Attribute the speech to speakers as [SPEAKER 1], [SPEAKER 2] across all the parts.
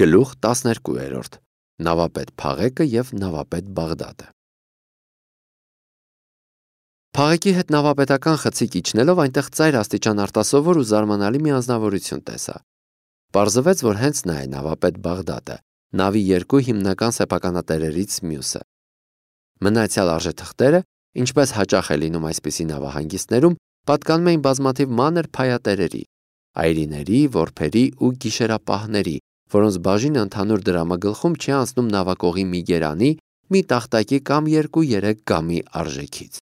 [SPEAKER 1] Գլուխ 12 Նավապետ Փաղեկը և նավապետ Բաղդադը։ Փաղեկի հետ նավապետական խցիկ իջնելով այնտեղ ծայր աստիճան արտասովոր ու զարմանալի մի անձնավորություն տեսա։ Պարզվեց, որ հենց նա է նավապետ Բաղդադը, նավի երկու հիմնական սեփականատերերից մյուսը։ Մնացյալ արժեթղթերը, ինչպես հաճախ է լինում այսպիսի նավահանգիստներում, պատկանում էին բազմաթիվ մանր փայատերերի, այրիների, որբերի ու գիշերապահների, որոնց բաժինը ընդհանուր դրամագլխում չի անցնում նավակողի մի գերանի, մի տախտակի կամ 2-3 գամի արժեքից։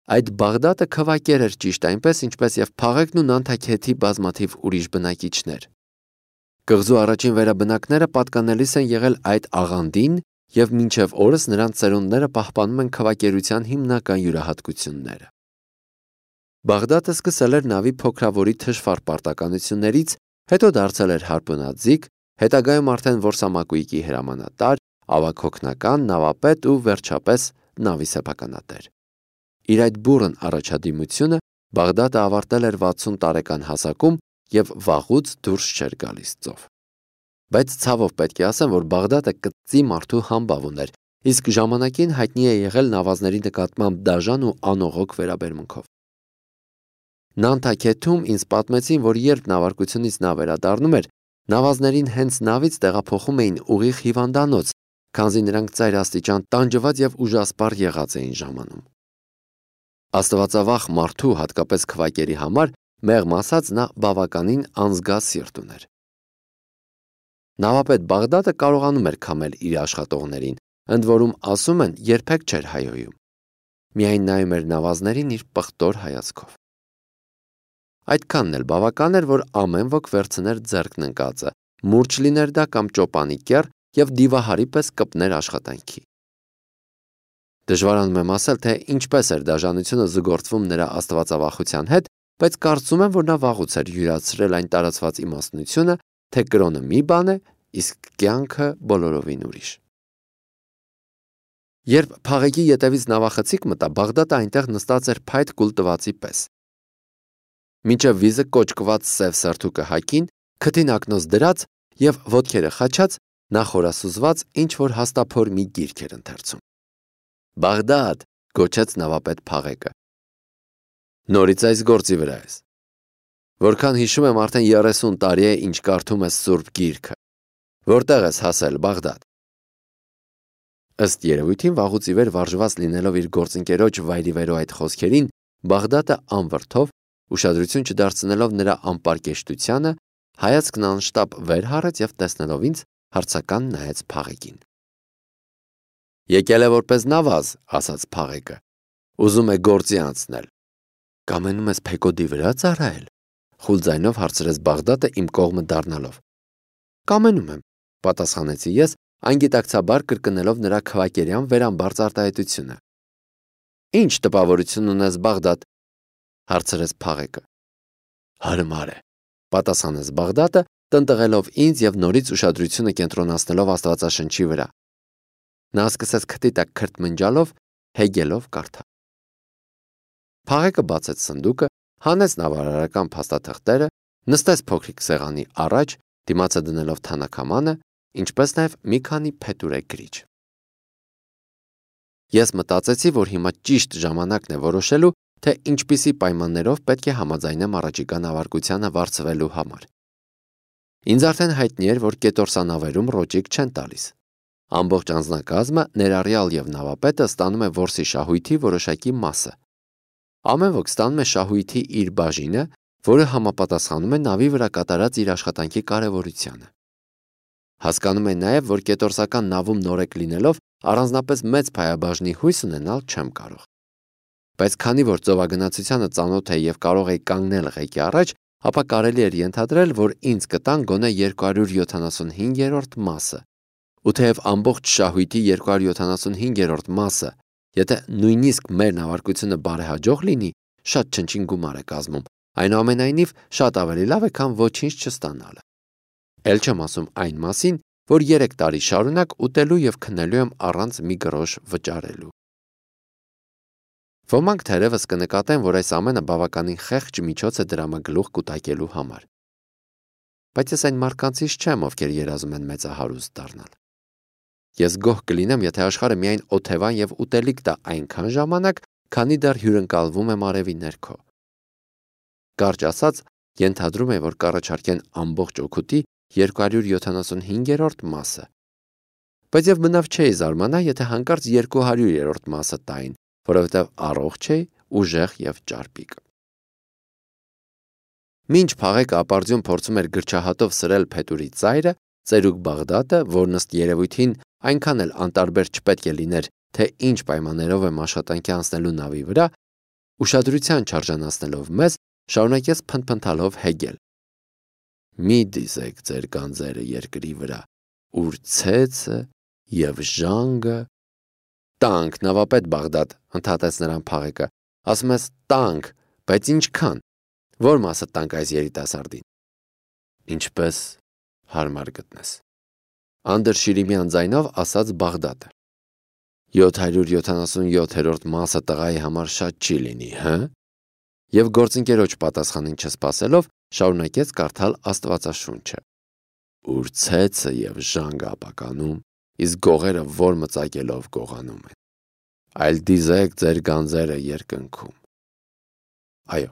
[SPEAKER 1] Այդ Բաղդադը քվակեր էր ճիշտ այնպես, ինչպես և Փաղեկն ու Նանթաքեթի բազմաթիվ ուրիշ բնակիչներ։ Կղզու առաջին վերաբնակները պատկանելիս են եղել այդ աղանդին և մինչև օրս նրանց ծերունդները պահպանում են քվակերության հիմնական յուրահատկությունները։ Բաղդադը սկսել էր նավի փոքրավորի թշվառ պարտականություններից, հետո դարձել էր հարպունաձիգ, հետագայում արդեն որսամակույկի հրամանատար, ավագօգնական, նավապետ ու վերջապես նավի սեփականատեր։ Իր այդ բուռն առաջադիմությունը Բաղդադը ավարտել էր 60 տարեկան հասակում և վաղուց դուրս չէր գալիս ծով։ Բայց ցավով պետք է ասեմ, որ Բաղդադը կծծի մարդու համբավ ուներ, իսկ ժամանակին հայտնի է եղել նավազների նկատմամբ դաժան ու անողոք վերաբերմունքով։ Նանթաքեթում ինձ պատմեցին, որ երբ նավարկությունից նա վերադառնում էր, նավազներին հենց նավից տեղափոխում էին ուղիղ հիվանդանոց, քանզի նրանք ծայր աստիճան տանջված և ուժասպառ եղած էին ժամանում։ Աստվածավախ մարդու, հատկապես քվակերի համար, մեղմ ասած, նա բավականին անզգասիրտ ուներ։ Նավապետ Բաղդադը կարողանում էր քամել իր աշխատողներին, ընդ որում ասում են, երբեք չէր հայհոյում։ Միայն նայում էր նավազներին իր պղտոր հայացքով։ Այդքանն էլ բավական էր, որ ամեն ոք վերցներ ձեռքն ընկածը, մուրջ լիներ դա կամ ճոպանի կեռ և դիվահարի պես կպներ աշխատանքի։ Դժվարանում եմ ասել, թե ինչպես էր դաժանությունը զուգորդվում նրա աստվածավախության հետ, բայց կարծում եմ, որ նա վաղուց էր յուրացրել այն տարածված իմաստնությունը, թե կրոնը մի բան է, իսկ կյանքը բոլորովին ուրիշ։ Երբ Փաղեկի ետևից նավախցիկ մտա, Բաղդադը այնտեղ նստած էր փայտ կուլ տվածի պես։ Մինչև վիզը կոճկված սև սերթուկը հագին, քթին ակնոց դրած և ոտքերը խաչած, նա խորասուզված ինչ-որ հաստափոր մի գիրք էր ընթերցում։ «Բաղդադ», գոչեց նավապետ Փաղեկը։ «Նորից այս գործի վրա ես։ Որքան հիշում եմ, արդեն 30 տարի է, ինչ կարդում ես սուրբ գիրքը։ Որտեղ ես հասել, Բաղդադ»։ Ըստ երևույթին վաղուց ի վեր վարժված լինելով իր գործընկերոջ վայրիվերո այդ խոսքերին, Բաղդադը անվրդով, ուշադրություն չդարձնելով նրա անպարկեշտությանը, հայացքն անշտապ վեր հառեց և տեսնելով ինձ, հարցական նայեց Փաղեկին։ «Եկել է որպես նավազ», ասաց Փաղեկը, «ուզում է գործի անցնել»։ «Կամենում ես Փեկոդի վրա ծառայել», խուլ ձայնով հարցրեց Բաղդադը իմ կողմը դառնալով։ «Կամենում եմ», պատասխանեցի ես, անգիտակցաբար կրկնելով նրա քվակերյան վերամբարձ արտահայտությունը։ «Ինչ տպավորություն ունես, Բաղդադ», հարցրեց Փաղեկը։ «Հարմար է», պատասխանեց Բաղդադը, տնտղելով ինձ և նորից ուշադրությունը կենտրոնացնելով Աստվածաշնչի վրա։ Նա սկսեց քթի տակ քրթմնջալով, հեգելով կարդալ։ Փաղեկը բացեց սնդուկը, հանեց նավարարական փաստաթղթերը, նստեց փոքրիկ սեղանի առաջ, դիմացը դնելով թանաքամանը, ինչպես նաև մի քանի փետուրե գրիչ։ Ես մտածեցի, որ հիմա ճիշտ ժամանակն է որոշելու, թե ինչպիսի պայմաններով պետք է համաձայնեմ առաջիկա նավարկությանը վարձվելու համար։ Ինձ արդեն հայտնի էր, որ կետորսանավերում ռոճիկ չեն տալիս։ Ամբողջ անձնակազմը, ներառյալ և նավապետը, ստանում է որսի շահույթի որոշակի մասը։ Ամեն ոք ստանում է շահույթի իր բաժինը, որը համապատասխանում է նավի վրա կատարած իր աշխատանքի կարևորությանը։ Հասկանում է նաև, որ կետորսական նավում նորեկ լինելով, առանձնապես մեծ փայաբաժնի հույս ունենալ չեմ կարող։ Բայց քանի որ ծովագնացությանը ծանոթ էի և կարող էի կանգնել ղեկի առաջ, ապա կարելի էր ենթադրել, որ ինձ կտան գոնե 275-րդ մասը։ Ու թեև ամբողջ շահույթի 275-րդ մասը, եթե նույնիսկ մեր նավարկությունը բարեհաջող լինի, շատ չնչին գումար է կազմում, այնուամենայնիվ շատ ավելի լավ է, քան ոչինչ չստանալը։ Էլ չեմ ասում այն մասին, որ 3 տարի շարունակ ուտելու և քնելու եմ առանց մի գրոշ վճարելու։ Ոմանք թերևս կնկատեն, որ այս ամենը բավականին խեղճ միջոց է դրամագլուխ կուտակելու համար։ բայց ես այն մարդկանցից չեմ, ովքեր երազում են մեծահարուստ դառնալ։ Ես գոհ կլինեմ, եթե աշխարհը միայն օթևան եւ ուտելիք տա այնքան ժամանակ, քանի դեռ հյուրընկալվում եմ արևի ներքո։ Կարճ ասած, ենթադրում է, որ կառաջարկեն ամբողջ օգուտի 275-րդ մասը։ Բայց եւ բնավ չէի զարմանա, եթե հանկարծ 200-րդ մասը տային, որովհետեւ առողջ էի, ուժեղ եւ ճարպիկ։ Մինչ Փաղեկը ապարդյուն փորձում էր գրչահատով սրել փետուրի ծայրը, ծերուկ Բաղդատը, որն ըստ երևույթին այնքան էլ անտարբեր չպետք է լիներ, թե ինչ պայմաններով եմ աշխատանքի անցնելու նավի վրա, ուշադրության չարժանացնելով մեզ, շարունակեց փնթփնթալով հեգել. «Մի դիզեք ձեր գանձերը երկրի վրա, ուր ցեցը եւ ժանգը»։ «Տանք, նավապետ Բաղդադ», ընդհատեց նրան Փաղեկը, ասում ես տանք, բայց ինչքան, որ մասը տանք այս երիտասարդին։ Ինչպես հարմար գտնես, անդրշիրիմյան ձայնով ասաց Բաղդատը։ 777-րդ մասը տղայի համար շատ չի լինի, հը։ Եվ գործընկերոջ պատասխանին չսպասելով շարունակեց կարդալ Աստվածաշունչը. «Ուր ցեցը եւ ժանգը ապականում, իսկ գողերը որ մծակելով գողանում են, այլ դիզեք ձեր գանձերը երկնքում»։ Այո,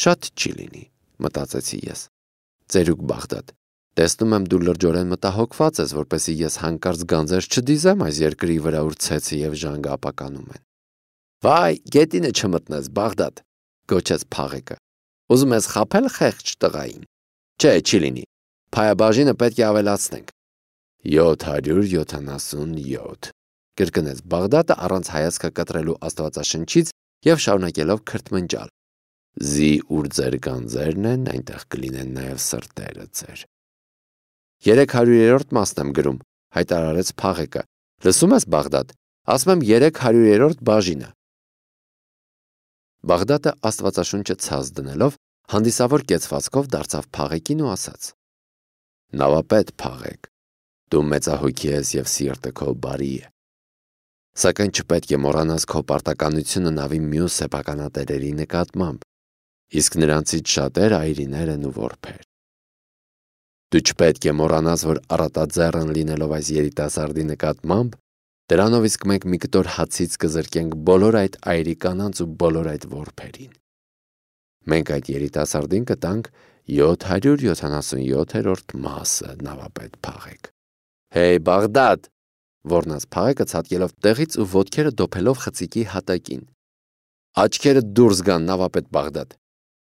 [SPEAKER 1] շատ չի լինի, մտածեցի ես։ Ծերուկ Բաղդադ, տեսնում եմ դու լրջորեն մտահոգված ես, որպեսզի ես հանկարծ գանձեր չդիզեմ այս երկրի վրա, ուր ցեցը եւ ժանգը ապականում են։ Վայ, գետինը չմտնես, Բաղդադ, գոչեց Փաղեկը։ Ուզում ես խաբել խեղճ տղային։ Չէ, չի լինի։ Փայաբաժինը պետք է ավելացնենք։ 777, կրկնեց Բաղդատը առանց հայացքը կտրելու Աստվածաշնչից եւ շարունակելով քրթմնջալ։ Զի ուր ձեր գանձերն են, այնտեղ կլինեն նաեւ սրտերը ձեր։ 300-րդ մասն եմ գրում, հայտարարեց Փաղեկը։ Լսում ես, Բաղդադ, ասում եմ 300-րդ բաժինը։ Բաղդատը Աստվածաշունչը ցած դնելով հանդիսավոր կեցվածքով դարձավ Փաղեկին ու ասաց. Նավապետ Փաղեկ, դու մեծահոգի ես եւ սիրտը քո բարի է։ Սակայն չպետք է մոռանաս քո պարտականությունը նավի մյուս սեփականատերերի նկատմամբ, իսկ նրանցից շատերը այրիներ են ու որբեր։ Դու չպետք է մոռանաս, որ առատաձեռն լինելով այս երիտասարդի նկատմամբ, դրանով իսկ մենք մի կտոր հացից կզրկենք բոլոր այդ այրի կանանց ու բոլոր այդ որբերին։ Մենք այդ երիտասարդին կտանք 777-րդ մասը, նավապետ Փաղեկ։ Հեյ, Բաղդադ, ոռնաց Փաղեկը ցատկելով տեղից ու ոտքերը դոփելով խցիկի հատակին։ Աչքերը դուրս գան, նավապետ Բաղդադ։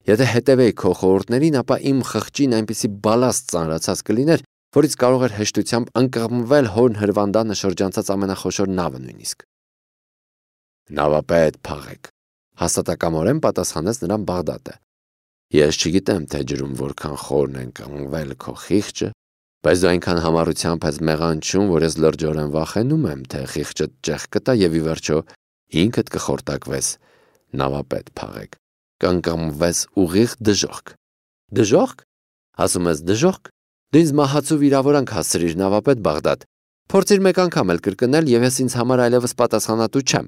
[SPEAKER 1] Եթե հետևեի քո խորհուրդներին, ապա իմ խղճին այնպիսի բալաստ ծանրացած կլիներ, որից կարող էր հեշտությամբ ընկղմվել հորն հրվանդանը շրջանցած ամենախոշոր նավը նույնիսկ։ Նավապետ Փաղեկ, հաստատակամորեն պատասխանեց նրան Բաղդատը։ Ես չգիտեմ, թե ջրում որքան խորն են կանգնվել քո խիղճը, բայց դու այնքան համառությամբ ես մեղանչում, որ ես լրջորեն վախենում եմ, թե խիղճը ճեղք կտա եւ ի վերջո ինքդ կխորտակվես, նավապետ Փաղեկ, կանգնվես ուղիղ դժոխք։ Դժոխք։ Ասում ես դժոխք։ Դու ինձ մահացու վիրավորանք հասցրիր, նավապետ Բաղդադ։ Փորձիր մեկ անգամ էլ կրկնել եւ ես ինձ համար այլևս պատասխանատու չեմ։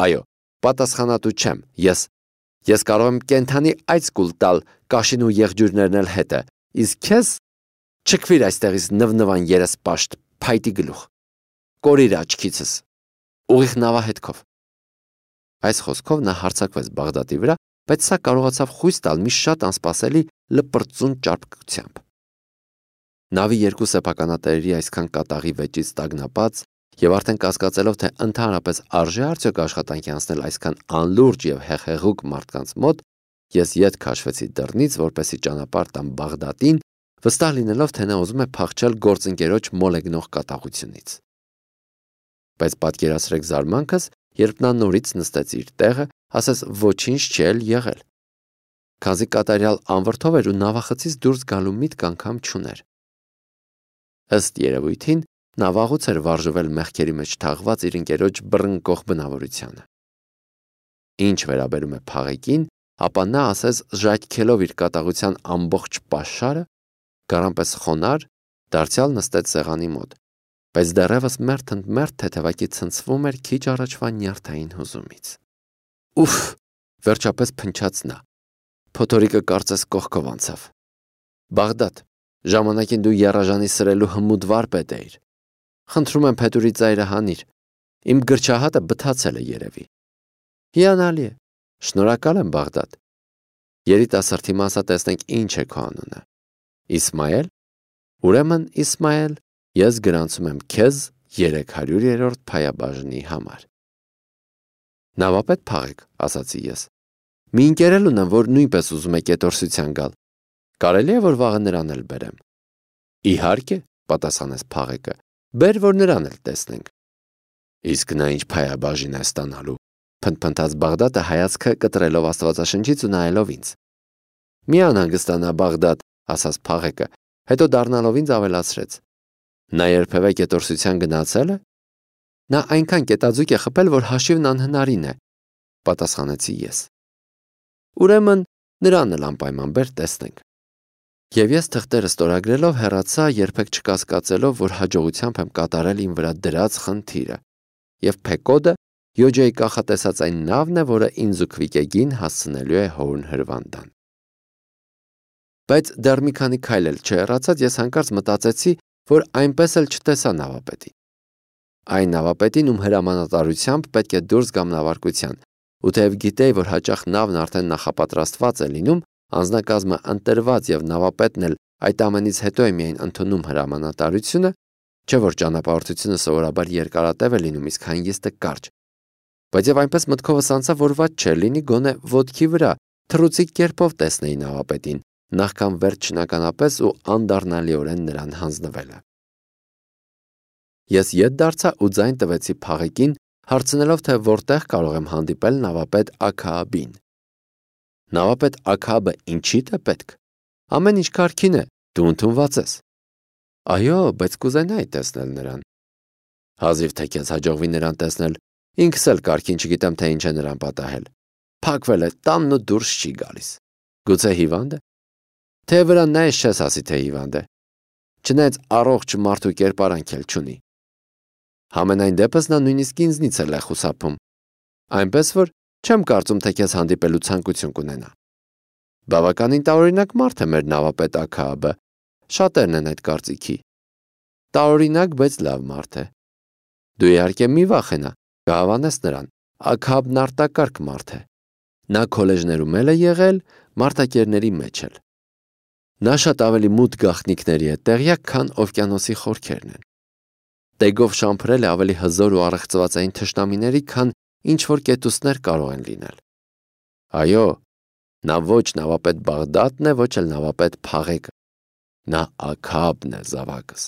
[SPEAKER 1] Այո, պատասխանատու չեմ։ Ես կարող եմ կենթանի այցկուլ տալ կաշին ու եղջյուրներն էլ հետը, իսկ քեզ չքվիր այստեղից նվնվան երեսպաշտ, փայտի գլուխ, կորիր աչքիցս, ուղիղ նավահետքով։ Այս խոսքով նա հարձակվեց Բաղդատի վրա, բայց սա կարողացավ խույս տալ մի շատ անսպասելի լպրծուն ճարպկությամբ։ Նավի երկու սեփականատերերի այսքան կատաղի վեճից տագնապած եւ արդեն կասկածելով, թե ընդհանրապես արժե արդյոք աշխատանքի անցնել այսքան անլուրջ եւ հեղեղուկ մարդկանց մոտ, ես ետ քաշվեցի դռնից, որպեսի ճանապարհ տամ Բաղդատին, վստահ լինելով, թե նա ուզում է փախչել գործընկերոջ մոլեգնող կատաղությունից։ Բայց պատկերացրեք զարմանքս, երբ նա նորից նստեց իր տեղը, ասես ոչինչ չէր եղել։ Քանզի կատարյալ անվրդով էր ու նավախցից դուրս գալու միտք անգամ չուներ։ Ըստ երևույթին, նա վաղուց էր վարժվել մեղքերի մեջ թաղված իր ընկերոջ բռնկող բնավորությանը։ Ինչ վերաբերում է Փաղեկին, ապա նա ասես ժայթքելով իր կատաղության ամբողջ պաշարը, գարանպես խոնար, դարձյալ նստեց սեղանի մոտ, բայց դեռևս մերթ թեթևակի ցնցվում էր քիչ առաջվա նյարդային հուզումից։ Ուֆ, վերջապես փնչաց նա։ Փոթորիկը կարծես կողքով անցավ։ Բաղդադ, Ժամանակին դու եռաժանի սրելու հմուտ վարպետ էիր։ Խնդրում եմ փետուրի ծայրը հանիր։ Իմ գրչահատը բթացել է երևի։ Հիանալի է։ Շնորհակալ եմ, Բաղդադ։ Երիտասարդի մասա տեսնենք ինչ է քո անունը։ Իսմայել։ Ուրեմն Իսմայել, ես գրանցում եմ քեզ 300-րդ փայաբաժնի համար։ Նավապետ փաղեք, ասացի ես։ Մի ընկերել ունեմ, որ նույնպես ուզում է կետորսության գալ։ Կարելի է, որ վաղը նրան էլ բերեմ։ Իհարկե, պատասխանեց փաղեկը, բեր, որ նրան էլ տեսնենք։ Իսկ նա ինչ փայաբաժին է ստանալու, փնթփնթաց Բաղդադը հայացքը կտրելով Աստվածաշնչից ու նայելով ինձ։ Մի անհանգստանա, Բաղդադ, ասաց փաղեկը, հետո դառնալով ինձ ավելացրեց. Նա երբևէ կետորսության գնացել է։ Նա այնքան կետաձուկ է խփել, որ հաշիվն անհնարին է, պատասխանեցի ես։ Ուրեմն նրան էլ անպայման բեր տեսնենք։ Եվ ես թղթերը ստորագրելով հեռացա, երբեք չկասկածելով, որ հաջողությամբ եմ կատարել իմ վրա դրած խնդիրը, եւ Փեկոդը Յոջեի կանխատեսած այն նավն է, որը ինձ ու Քվիկեգին հասցնելու է Հորն հրվանդան։ Բայց դեռ մի քանի քայլ էլ չհեռացած ես հանկարծ մտածեցի, որ այնպես էլ չտեսա նավապետին։ Այն նավապետին, ում հրամանատարությամբ պետք է դուրս գամ նավարկության, ու թեև գիտեի, որ հաճախ նավն արդեն նախապատրաստված է լինում, անձնակազմը ընտրված եւ նավապետն էլ այդ ամենից հետո է միայն ընդունում հրամանատարությունը, չէ՞ որ ճանապարհորդությունը սովորաբար երկարատև է լինում, իսկ հանգիստը կարճ։ Բայց եւ այնպես մտքովս անցավ, որ ված չէ լինի գոնե ոտքի վրա թռուցիկ կերպով տեսնեի նավապետին, նախքան վերջ շնականապես ու անդառնալիորեն նրան հանձնվելը։ Ես ետ դարձա ու ձայն տվեցի փաղեկին, հարցնելով, թե որտեղ կարող եմ հանդիպել նավապետ Աքաաբին։ Նավապետ Աքաաբը ինչի՞դ է պետք։ Ամեն ինչ կարգին է, դու ընդունված ես։ Այո, բայց կուզենայի տեսնել նրան։ Հազիվ թե քեզ հաջողվի նրան տեսնել, ինքս էլ կարգին չգիտեմ, թե ինչ է նրան պատահել։ Փակվել է տանն ու դուրս չի գալիս։ Գուցե հիվանդ է։ Թե վրա նայես չես ասի, թե հիվանդ է։ Չնայած առողջ մարդու կերպարանք էլ չունի։ Համենայն դեպս նա նույնիսկ ինձնից էլ է խուսափում։ Այնպես որ չեմ կարծում, թե քեզ հանդիպելու ցանկություն կունենա։ Բավականին տարօրինակ մարդ է մեր նավապետ Աքաաբը, շատերն են այդ կարծիքի։ Տարօրինակ, բայց լավ մարդ է։ Դու իհարկե մի վախենա, կհավանես նրան, Աքաաբն արտակարգ մարդ է։ Նա քոլեջներում էլ է եղել, մարտակերների մեջ էլ։ Նա շատ ավելի մութ գաղտնիքների է տեղյակ, քան օվկիանոսի խորքերն են։ Տեգով շամփրել է ավելի հզոր ու առեղծվածային թշնամիների, քան ինչ որ կետուսներ կարող են լինել։ Այո, նա ոչ նավապետ Բաղդադն է, ոչ էլ նավապետ Փաղեկը։ Նա Աքաաբն է, զավակս։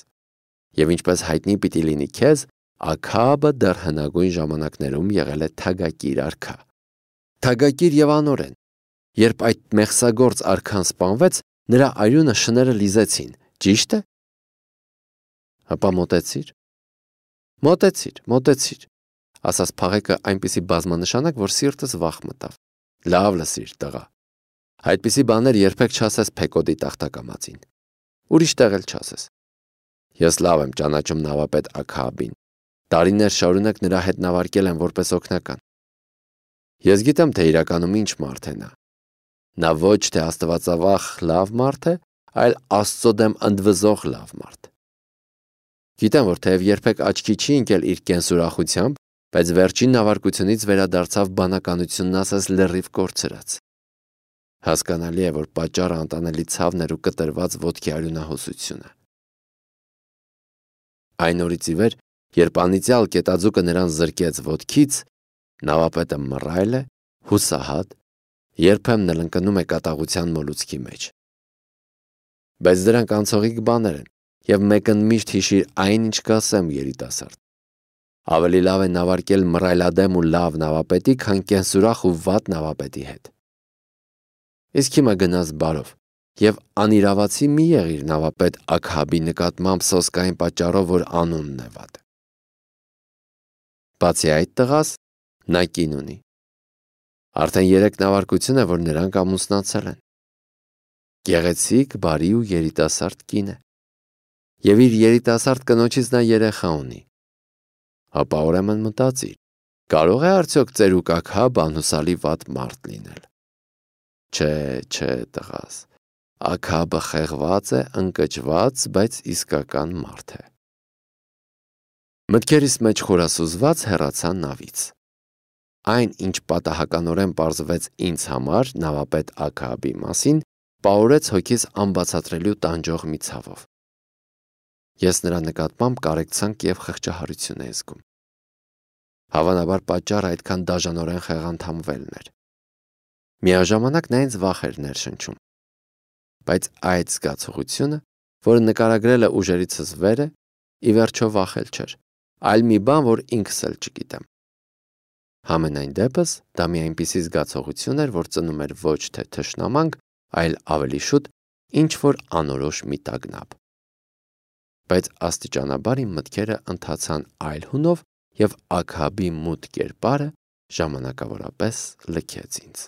[SPEAKER 1] Եվ ինչպես հայտնի պիտի լինի քեզ, Աքաաբը դեռ հնագույն ժամանակներում եղել է թագակիր արքա։ Թագակիր եւ անօրեն։ Երբ այդ մեղսագործ արքան սպանվեց, նրա արյունը շները լիզեցին, ճիշտ է։ Հապա մոտեցիր, ասաց Փաղեկը այնպիսի բազմանշանակ, որ սիրտս վախ մտավ։ Լավ լսիր, տղա։ Այդպիսի բաներ երբեք չասես Փեկոդի տախտակամածին։ Ուրիշ տեղ էլ չասես։ Ես լավ եմ ճանաչում նավապետ Աքաաբին։ Տարիներ շարունակ նրա հետ նավարկել եմ որպես օգնական։ Ես գիտեմ, թե իրականում ինչ մարդ է նա։ Նա ոչ թե աստվածավախ լավ մարդ է, այլ Աստծո դեմ ընդվզող լավ մարդ։ Գիտեմ, որ թեև երբեք աչքի չի ընկել իր կենսուրախությամբ, բայց վերջին նավարկությունից վերադարձավ բանականությունն ասես լրիվ կորցրած։ Հասկանալի է, որ պատճառը անտանելի ցավն էր ու կտրված ոտքի արյունահոսությունը։ Այն օրից ի վեր, երբ անիծյալ կետաձուկը նրան զրկեց ոտքից, նավապետը մռայլ է, հուսահատ, երբեմն էլ ընկնում է կատաղության մոլուցքի մեջ։ Բայց դրանք անցողիկ բաներ են, եւ մեկն միշտ հիշիր այն, ինչ կասեմ, երիտասարդ։ Ավելի լավ է նավարկել մռայլադեմ ու լավ նավապետի, քան կենսուրախ ու վատ նավապետի հետ։ Իսկ հիմա գնաս բարով եւ անիրավացի մի եղիր նավապետ Աքաաբի նկատմամբ սոսկային պատճառով, որ անունն է վատ։ Բացի այդ տղաս, նա կին ունի։ Արդեն 3 նավարկություն է, որ նրանք ամուսնացել են։ Գեղեցիկ, բարի ու երիտասարդ կին է։ Եվ իր երիտասարդ կնոջից նա երեխա ունի։ Հապա ուրեմն մտածիր, կարող է արդյոք ծերուկ Աքաաբը անհուսալի վատ մարդ լինել։ Չէ, տղաս, Աքաբը խեղված է, ընկճված, բայց իսկական մարդ է։ Մտքերիս մեջ խորասուզված հեռացա նավից։ Այն, ինչ պատահականորեն պարզվեց ինձ համար նավապետ Աքաբի մասին, պահորեց հոգիս անբացատրելի ու տանջող մի ցավով։ Ես նրա նկատմամբ կարեկցանք և խղճահարություն էի զգում։ Հավանաբար պատճառը այդքան դաժանորեն խեղանդամվելն էր։ Միաժամանակ նա ինձ վախ էր ներշնչում։ Բայց այդ զգացողությունը, որը նկարագրել է ուժերիցս վեր է, ի վերջո վախել չէր, այլ մի բան, որ ինքս էլ չգիտեմ։ Համենայն դեպս, դա մի այնպիսի զգացողություն էր, որ ծնում էր ոչ թե թշնամանք, այլ ավելի շուտ ինչ-որ անորոշ մի տագնապ։ Բայց աստիճանաբար իմ մտքերը ընթացան այլ հունով, և Աքաբի մութ կերպարը ժամանակավորապես լքեց ինձ։